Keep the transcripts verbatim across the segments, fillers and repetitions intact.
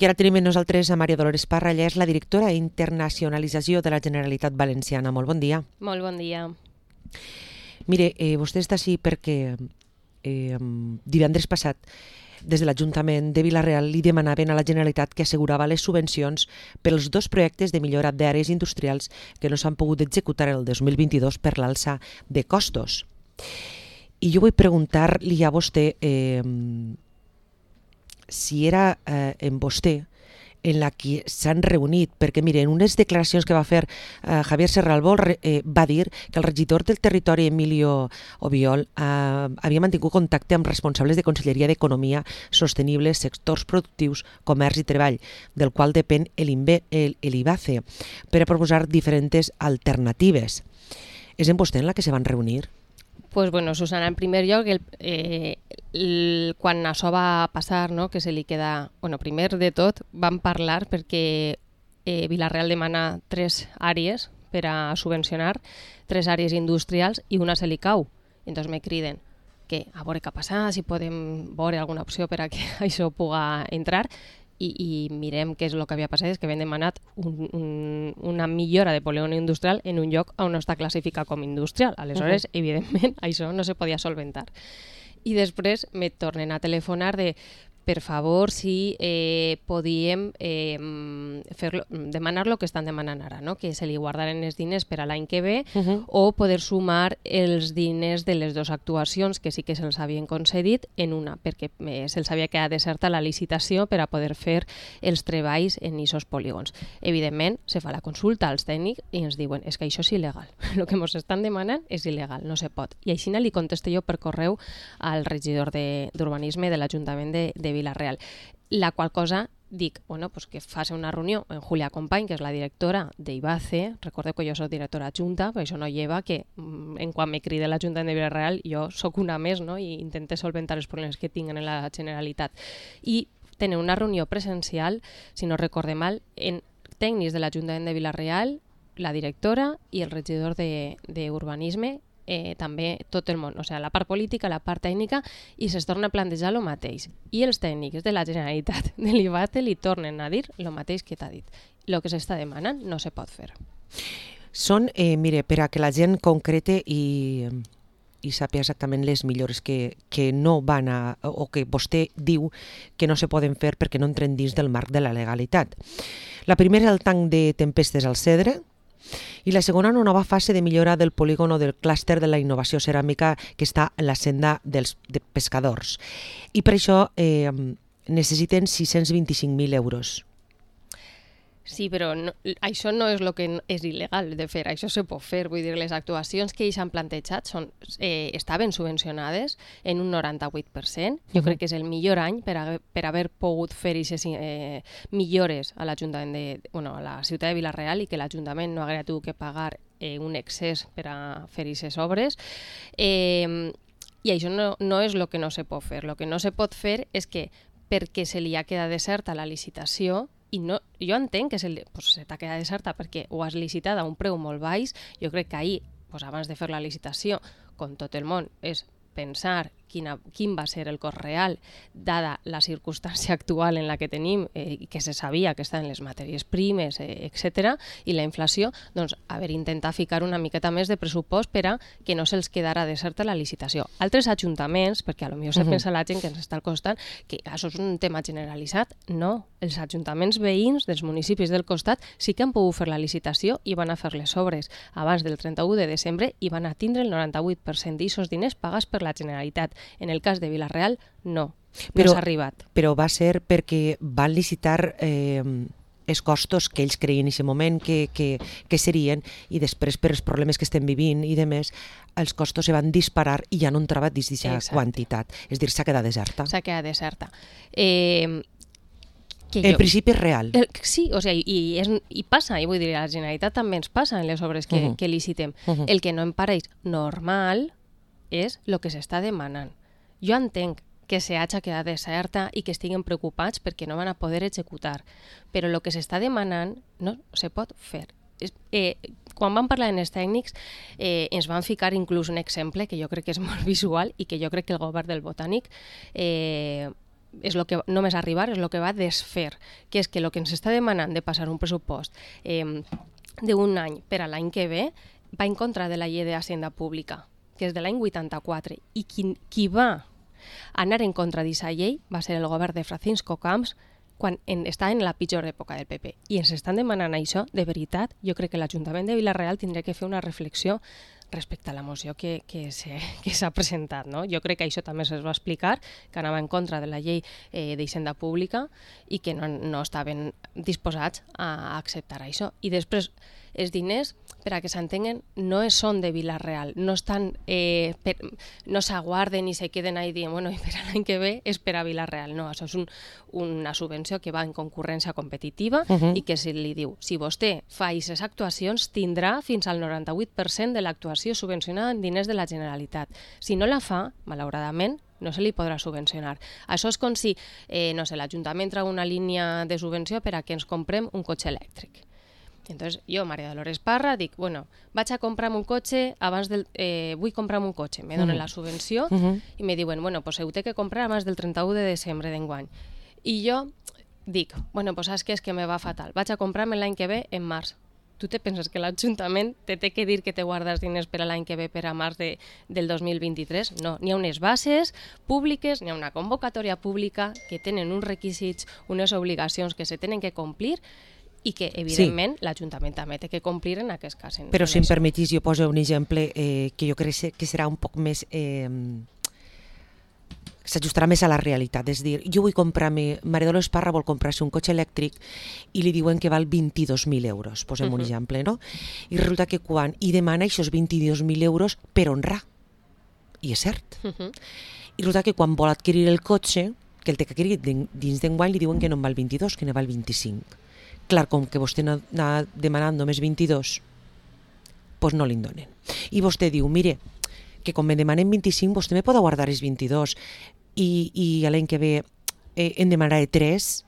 I ara tenim amb nosaltres a Maria Dolores Parra, ella és la directora d'Internacionalització de la Generalitat Valenciana. Molt bon dia. Molt bon dia. Mire, eh, vostè està així perquè eh, divendres passat des de l'Ajuntament de Vila-real li demanaven a la Generalitat que assegurava les subvencions per als dos projectes de millora d'àrees industrials que no s'han pogut executar el dos mil vint-i-dos per l'alça de costos. I jo vull preguntar-li a vostè eh, si era eh, en vostè en la que s'han reunit, perquè mire, en unes declaracions que va fer eh, Javier Serralbol eh, va dir que el regidor del territori Emilio Obiol eh, havia mantingut contacte amb responsables de Conselleria d'Economia Sostenible, sectors productius, comerç i treball, del qual depèn l'IBACE, per a proposar diferents alternatives. És en vostè en la que se van reunir? Pues bueno, Susana, en primer lloc, el, eh, el, quan això va passar, no, que se li queda... Bueno, primer de tot, vam parlar perquè eh, Vila-real demana tres àrees per a subvencionar, tres àrees industrials i una se li cau. Entonces me criden que a veure què ha passat, si podem veure alguna opció per a que això puga entrar. I, i mirem què és el que havia passat, és que havien demanat un, un, una millora de polígon industrial en un lloc on no està classificat com industrial. Aleshores, uh-huh. evidentment, això no se podia solventar. I després me tornen a telefonar de, per favor, si eh, podíem eh, fer demanar el que estan demanant ara, no? Que se li guardaren els diners per a l'any que ve uh-huh. o poder sumar els diners de les dues actuacions que sí que se'ls havien concedit en una, perquè eh, se'ls havia quedat deserta la licitació per a poder fer els treballs en aquests polígons. Evidentment, se fa la consulta als tècnics i ens diuen és que això és il·legal. El que ens estan demanant és il·legal, no se pot. I així li contesto jo per correu al regidor d'Urbanisme de, de l'Ajuntament de, de Vila-real. La qual cosa dic, bueno, pues que faci una reunió amb Julia Company, que és la directora d'IBACE. Recordeu que jo soc directora adjunta, però això no lleva que en quan me crida l'Ajuntament de Vila-real jo sóc una més, no? I intente solventar els problemes que tinguin en la Generalitat. I tenen una reunió presencial, si no recorde mal, en tècnics de l'Ajuntament de Vila-real, la directora i el regidor d'Urbanisme, Eh, també tot el món, o sigui, la part política, la part tècnica, i es torna a plantejar el mateix. I els tècnics de la Generalitat de l'IBACE li tornen a dir el mateix que t'ha dit. El que s'està demanant no se pot fer. Són, eh, mire, per a que la gent concrete i, i sàpiga exactament les millores que, que no van a, o que vostè diu que no se poden fer perquè no entren dins del marc de la legalitat. La primera és el tanc de tempestes al Cedre, i la segona una nova fase de millora del polígon o del clúster de la innovació ceràmica que està en la senda dels de pescadors. I per això eh, necessiten sis-cents vint-i-cinc mil euros. Sí, però no, això no és el que és il·legal de fer, això se pot fer. Vull dir, les actuacions que ells han plantejat són, eh, estaven subvencionades en un noranta-vuit per cent. Jo uh-huh. crec que és el millor any per, a, per haver pogut fer aquestes eh, millores a l'Ajuntament de, bueno, a la ciutat de Vila-real i que l'Ajuntament no hagués tingut que pagar eh, un excés per a fer aquestes obres. Eh, I això no, no és el que no se pot fer. El que no se pot fer és que perquè se li ha quedat deserta la licitació, i no, jo entenc que se, pues, se t'ha quedat deserta perquè ho has licitat a un preu molt baix. Jo crec que ahir, pues, abans de fer la licitació, com tot el món, és pensar quina, quin va ser el cost real dada la circumstància actual en la que tenim eh, i que se sabia que estaven les matèries primes, eh, etcètera, i la inflació, doncs haver intentat ficar una miqueta més de pressupost per a que no se'ls quedara deserta la licitació. Altres ajuntaments, perquè a lo millor se uh-huh. pensa la gent que ens està al costat que això és un tema generalitzat, no. Els ajuntaments veïns dels municipis del costat sí que han pogut fer la licitació i van a fer les obres abans del trenta-u de desembre i van a tindre el noranta-vuit per cent d'aquests diners pagats per la Generalitat. En el cas de Vila-real, no, no s'ha arribat. Però va ser perquè van licitar eh, els costos que ells creien en aquest moment que, que, que serien, i després per els problemes que estem vivint i demés, els costos se van disparar i ja no entrava dins d'aquesta quantitat. És a dir, s'ha quedat deserta. S'ha quedat deserta. Eh, que en jo, principi és real. El, sí, o sigui, i, és, i passa, i vull dir, a la Generalitat també ens passa en les obres que, uh-huh. que licitem. Uh-huh. El que no em pareix normal és el que s'està demanant. Jo entenc que se hagi quedat deserta i que estiguen preocupats perquè no van a poder executar, però el que s'està demanant no se pot fer. Eh, quan vam parlar amb els tècnics eh, ens van ficar inclús un exemple que jo crec que és molt visual i que jo crec que el govern del Botànic eh, és lo que, només arribar és el que va desfer, que és que el que ens està demanant de passar un pressupost eh, d'un any per a l'any que ve va en contra de la llei d'Hacienda Pública, que és de l'any vuitanta-quatre, i qui, qui va anar en contra d'aquesta llei va ser el govern de Francisco Camps quan en, està en la pitjor època del P P. I ens estan demanant això, de veritat, jo crec que l'Ajuntament de Vila-real tindria que fer una reflexió respecte a la moció que, que s'ha presentat. No? Jo crec que això també se'ls va explicar, que anava en contra de la llei eh, d'Hisenda Pública i que no, no estaven disposats a acceptar això. I després, els diners, per a que s'entenguen, no són de Vila-real, no estan, eh, per, no s'aguarden i se queden ahí dient, bueno, i per a l'any que ve és per a Vila-real. No, això és un, una subvenció que va en concurrència competitiva uh -huh. i que si li diu, si vostè fa aquestes actuacions, tindrà fins al noranta-vuit per cent de l'actuació subvencionada en diners de la Generalitat. Si no la fa, malauradament, no se li podrà subvencionar. Això és com si, eh, no sé, l'Ajuntament treu una línia de subvenció per a que ens comprem un cotxe elèctric. Entonces, jo, Maria Dolores Parra, dic, bueno, vaig a comprar un cotxe abans del... Eh, vull comprar un cotxe, me donen uh -huh. la subvenció uh -huh. i me diuen, bueno, pues heu de que comprar abans del trenta-u de desembre d'enguany. I jo dic, bueno, pues saps què és que me va fatal? Vaig a comprar-me l'any que ve en març. Tu te penses que l'Ajuntament te té que dir que te guardes diners per a l'any que ve per a març de, del dos mil vint-i-tres? No, n'hi ha unes bases públiques, n'hi ha una convocatòria pública que tenen uns requisits, unes obligacions que se tenen que complir i que, evidentment, sí. l'Ajuntament també té que complir en aquest cas. En Però, si em permetís, jo poso un exemple eh, que jo crec que serà un poc més... Eh, s'ajustarà més a la realitat. És dir, jo vull comprar-me... Maria Dolores Parra vol comprar-se un cotxe elèctric i li diuen que val vint-i-dos mil euros, posem uh-huh. un exemple, no? I resulta que quan... I demana aquests vint-i-dos mil euros per honrar. I és cert. Uh-huh. I resulta que quan vol adquirir el cotxe, que el té que adquirir dins d'enguany, li diuen que no en val vint-i-dos, que ne val vint-i-cinc. Clar, com que vostè n'ha demanat només vint-i-dos, doncs no li'n donen. I vostè diu, mire, que com me demanen vint-i-cinc, vostè me pot guardar els vint-i-dos i, i l'any que ve eh, en demanaré tres.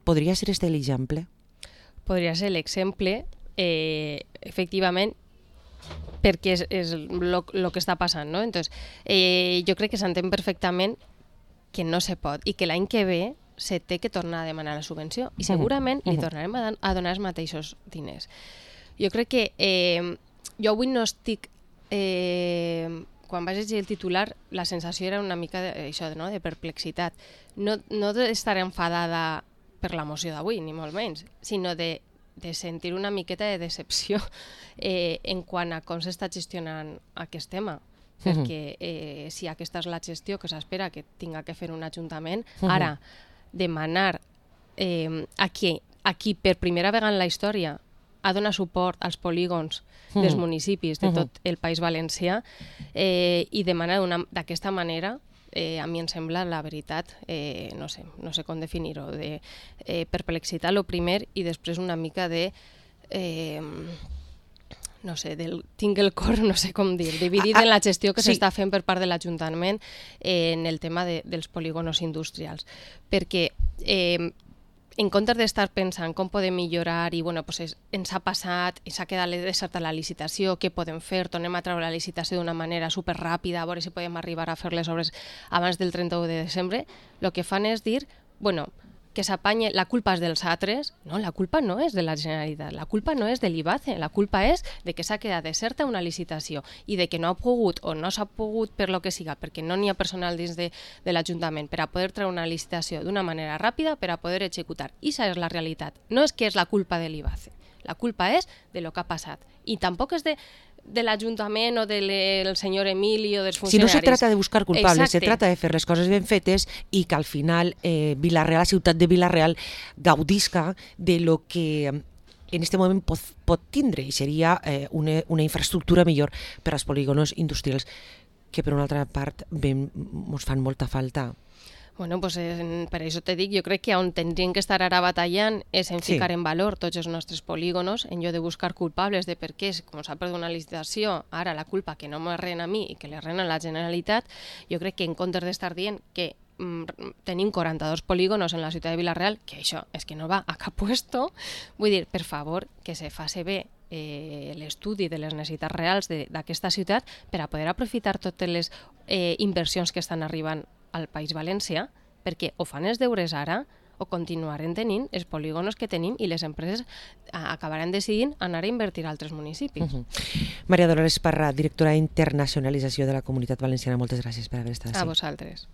Podria ser este l'exemple? Podria ser l'exemple, eh, efectivament, perquè és, és el que està passant, no? Entonces, eh, jo crec que s'entén perfectament que no se pot i que l'any que ve se té que tornar a demanar la subvenció i segurament uh -huh. li tornarem a, a donar els mateixos diners. Jo crec que eh, jo avui no estic... Eh, quan vaig llegir el titular, la sensació era una mica de, això, no? de perplexitat. No, no d'estar enfadada per la moció d'avui, ni molt menys, sinó de, de sentir una miqueta de decepció eh, en quant a com s'està gestionant aquest tema. Perquè eh, si aquesta és la gestió que s'espera que tinga que fer un ajuntament, uh -huh. ara demanar eh, a, qui, a qui per primera vegada en la història ha donat suport als polígons uh-huh. dels municipis de tot el País Valencià eh, i demanar d'aquesta manera, eh, a mi em sembla, la veritat, eh, no sé, no sé com definir-ho, de eh, perplexitat, el primer, i després una mica de... Eh, no sé, del, tinc el cor, no sé com dir, dividit ah, ah, en la gestió que sí. s'està fent per part de l'Ajuntament eh, en el tema de, dels polígonos industrials. Perquè eh, en comptes d'estar pensant com podem millorar i bueno, pues es, ens ha passat, ens ha quedat deserta la licitació, què podem fer, tornem a treure la licitació d'una manera superràpida, a veure si podem arribar a fer les obres abans del trenta-u de desembre, el que fan és dir, bueno, que s'apanye, la culpa és dels altres. No, la culpa no és de la Generalitat, la culpa no és de l'I B A C E, la culpa és de que s'ha quedat deserta una licitació i de que no ha pogut o no s'ha pogut per lo que siga, perquè no n'hi ha personal dins de, de l'Ajuntament per a poder treure una licitació d'una manera ràpida per a poder executar. I això és la realitat. No és que és la culpa de l'I B A C E, la culpa és de lo que ha passat. I tampoc és de de l'Ajuntament o del senyor Emili o dels funcionaris. Si no se trata de buscar culpables, Exacte. se trata de fer les coses ben fetes i que al final eh, Vila-real, la ciutat de Vila-real, gaudisca de lo que en aquest moment pot, pot tindre i seria eh, una, una infraestructura millor per als polígonos industrials que per una altra part ens fan molta falta. Bueno, pues, eh, per això te dic, jo crec que on tindrien que estar ara batallant és en ficar sí. en valor tots els nostres polígonos, en lloc de buscar culpables de per què, com s'ha perdut una licitació, ara la culpa que no me rena a mi i que li rena a la Generalitat, jo crec que en comptes d'estar dient que mm, tenim quaranta-dos polígonos en la ciutat de Vila-real, que això és que no va a cap puesto, vull dir, per favor, que se faci bé eh, l'estudi de les necessitats reals d'aquesta ciutat per a poder aprofitar totes les eh, inversions que estan arribant al País Valencià perquè o fan els deures ara o continuarem tenint els polígonos que tenim i les empreses acabaran decidint anar a invertir a altres municipis. Uh -huh. Maria Dolores Parra, directora d'Internacionalització de la Comunitat Valenciana, moltes gràcies per haver estat A així. vosaltres.